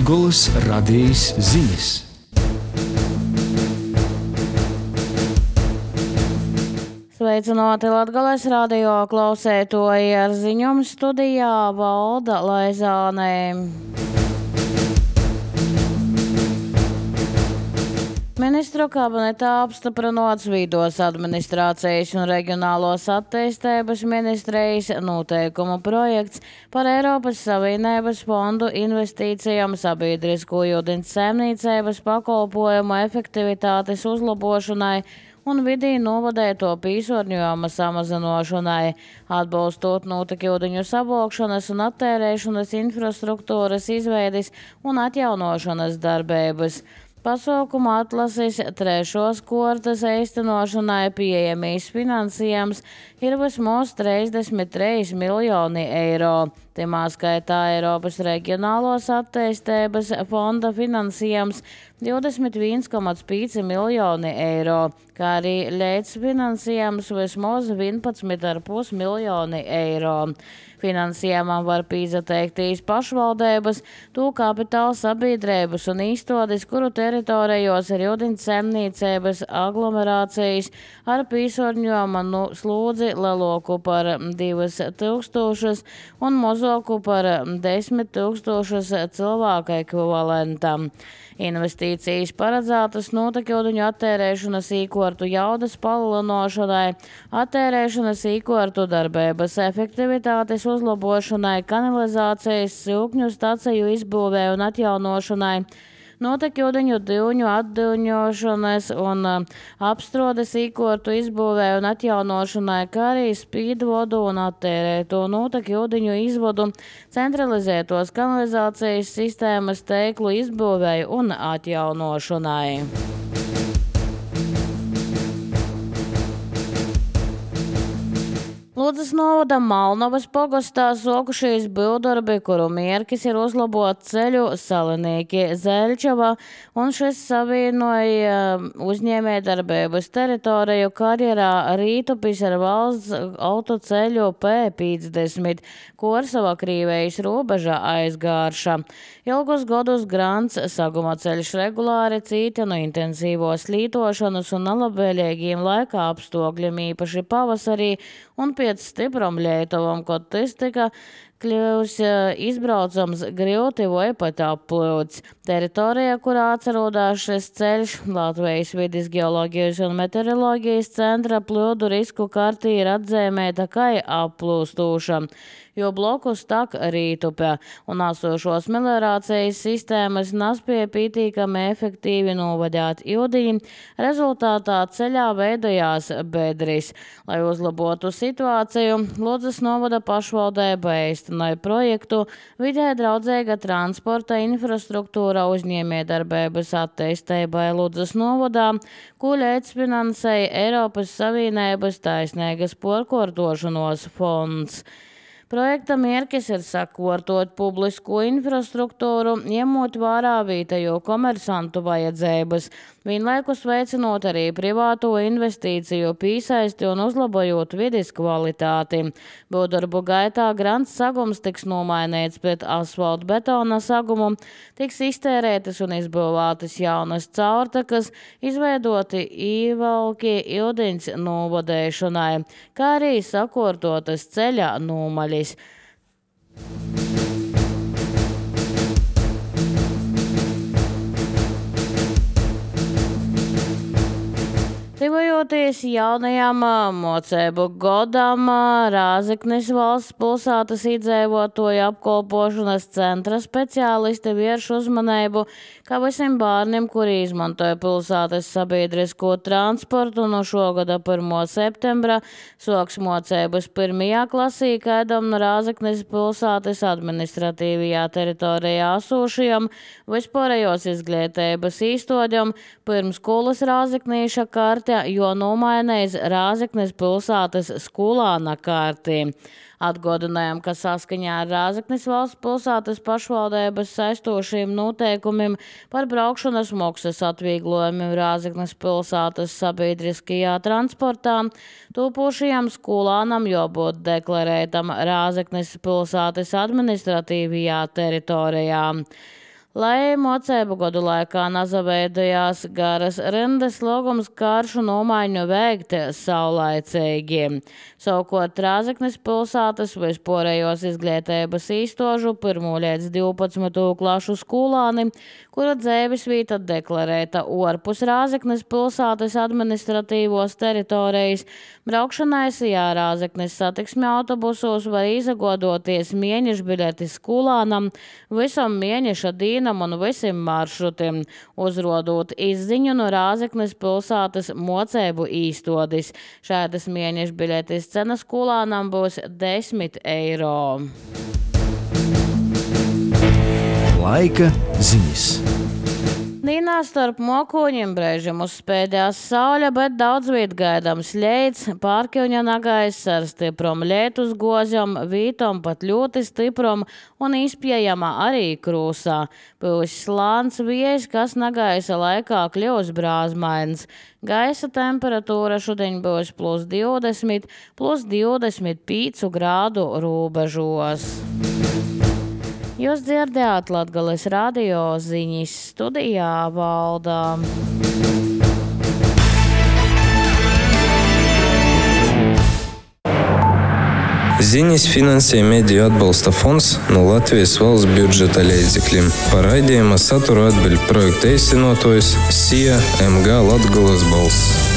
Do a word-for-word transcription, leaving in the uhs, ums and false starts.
Latgoles radijas ziņas. Sveicināti Latgoles radio klausētoji, ar ziņām studijā Valda Laizāne. Ministru kabinetā apstiprināts Vidos administrācijas un reģionālos attīstības ministrijas noteikumu projekts par Eiropas Savienības fondu investīcijām sabiedrisko ūdens saimniecības pakalpojumu efektivitātes uzlabošanai un vidī novadēto piesārņojuma samazināšanai, atbalstot notekūdeņu savokšanas un attērēšanas infrastruktūras izveides un atjaunošanas darbības. Pasaukuma atlases trešos kārtas īstenošanai pieejamīs finansējums ir vismaz trīsdesmit trīs miljoni eiro. Timā skaitā Eiropas reģionālos attīstības fonda finansējums divdesmit viens komats pieci miljoni eiro, kā arī līdzfinansējums vismaz vienpadsmit komats pieci miljoni eiro. Finansējumam var pieteikties pašvaldības, to kapitāla sabiedrības un īstotis, kuru teritorijos ir ūdens saimniecības aglomerācijas ar piesārņojuma nu, slodzi lielāku par divus tūkstošus un mazāku par desmit tūkstošus cilvēku ekvivalentam. Investīcijas paredzētas notekūdeņu attērēšanas īkortu jaudas palielināšanai, attērēšanas īkortu darbības efektivitātes uzlabošanai, kanalizācijas silkņu staciju izbūvē un atjaunošanai, notekūdeņu divņu atdūņošanas un apstrādes īkortu izbūvē un atjaunošanai, kā arī spīdvodu un attērēto notekūdeņu izvodu, centralizētos kanalizācijas sistēmas teiklu izbūvē un atjaunošanai. Ludzas novada Malnovas pogastā sokušies būvdarbi, kuru mērķis ir uzlabot ceļu Salinīki Zeļčava, un šis savienoja uzņēmējdarbības teritoriju karjerā Rītupis ar valsts autoceļu P piecdesmit, Korsava Krīvejas robeža aizgārša. Ilgus gadus grants saguma ceļš regulāri cīta no intensīvos lītošanas un nelabvēlīgiem laika apstākļiem, īpaši pavasarī un pēc stipram lietuvam, kad tas tika kļūs izbraucams grūti vai pat applūds. Teritorija, kurā atrodas šis ceļš, Latvijas vides geoloģijas un meteoroloģijas centra plūdu risku kartī ir atzīmēta kā applūstoša, jo blokus tak Rītupē un esošos meliorācijas sistēmas nespēja pietiekami efektīvi novadīt ūdeni. Rezultātā ceļā veidojās bedris. Lai uzlabotu situāciju, Ludzas novada pašvaldība īstenoja projektu vidē draudzīga transporta infrastruktūra uzņēmējdarbības attīstībai Ludzas novadā, ko līdzfinansēja Eiropas Savienības taisnīgas porkortošanos fonds. Projekta mērķis ir sakārtot publisko infrastruktūru, ņemot vērā vietējo komersantu vajadzības, vienlaikus veicinot arī privāto investīciju pīsaisti un uzlabojot vides kvalitāti. Būvdarbu gaitā grants sagums tiks nomainīts pret asfaltu betona sagumu, tiks iztērētas un izbūvētas jaunas caurtakas, izveidoti īvalki ūdens novadēšanai, kā arī sakārtotas ceļa nomaļas. Tuvojoties jaunajam mocību gadam, Rāzeknes valsts pilsētas iedzīvotāju apkalpošanas centra speciālisti vērš uzmanību, ka visiem bērniem, kuri izmantoja pilsētas sabiedrisko transportu, no šogada pirmā septembra soks mocības pirmajā klasī, kādam no Rāzeknes pilsētas administratīvajā teritorijā esošajam vispārējos izglītības īstoģam pirmskolas Rāzeknīša kārtē, jo nomainīs Rāzeknes pilsētas skolāna kārtī. Atgādinājām, ka saskaņā ar Rāzeknes valsts pilsētas pašvaldības saistošiem noteikumiem par braukšanas maksas atvieglojumiem Rāzeknes pilsētas sabiedriskajā transportā topošajam skolānam jābūt deklarētam Rāzeknes pilsētas administratīvajā teritorijā. Lai mocēbu gadu laikā nazaveidojās garas rindas, lūgums karšu nomaiņu veikt saulaicīgi. Savukārt Rāzeknes pilsētas vispārējos izglītības īstožu pirmo līdz divpadsmito klašu skolāni, kura dzīvesvieta deklarēta orpus Rāzeknes pilsētas administratīvos teritorijas, braukšanai sijā Rāzeknes satiksmi autobusos var izagodoties mieņešbiļeti skolānam visam mieņeša dīnam un visiem maršrutiem, uzrodot izziņu no Rāzeknes pilsētas mocēbu īstodis. Šādas mieņešbiļetes cena skolānam būs desmit eiro. Laika ziņas. Nīnā starp mokoņiem brēžam uzspēdās saule, bet daudz viet gaidams ļeids, pārkļuņa nagais ar stiprom lietus gozjam, vītom pat ļoti stiprom un izpējama arī krūsā. Būs slāns viejs, kas nagaisa laikā kļūs brāzmains. Gaisa temperatūra šodien būs plus divdesmit, plus divdesmit pieci grādu robežos. Jūs dzirdējāt Latgales radio ziņas, studijā Valda. Ziņas finansē Mediju atbalsta fonds no Latvijas valsts budžeta līdzekļiem. Par raidījuma saturu atbild projekta īstenotājs S I A M G Latgales balss.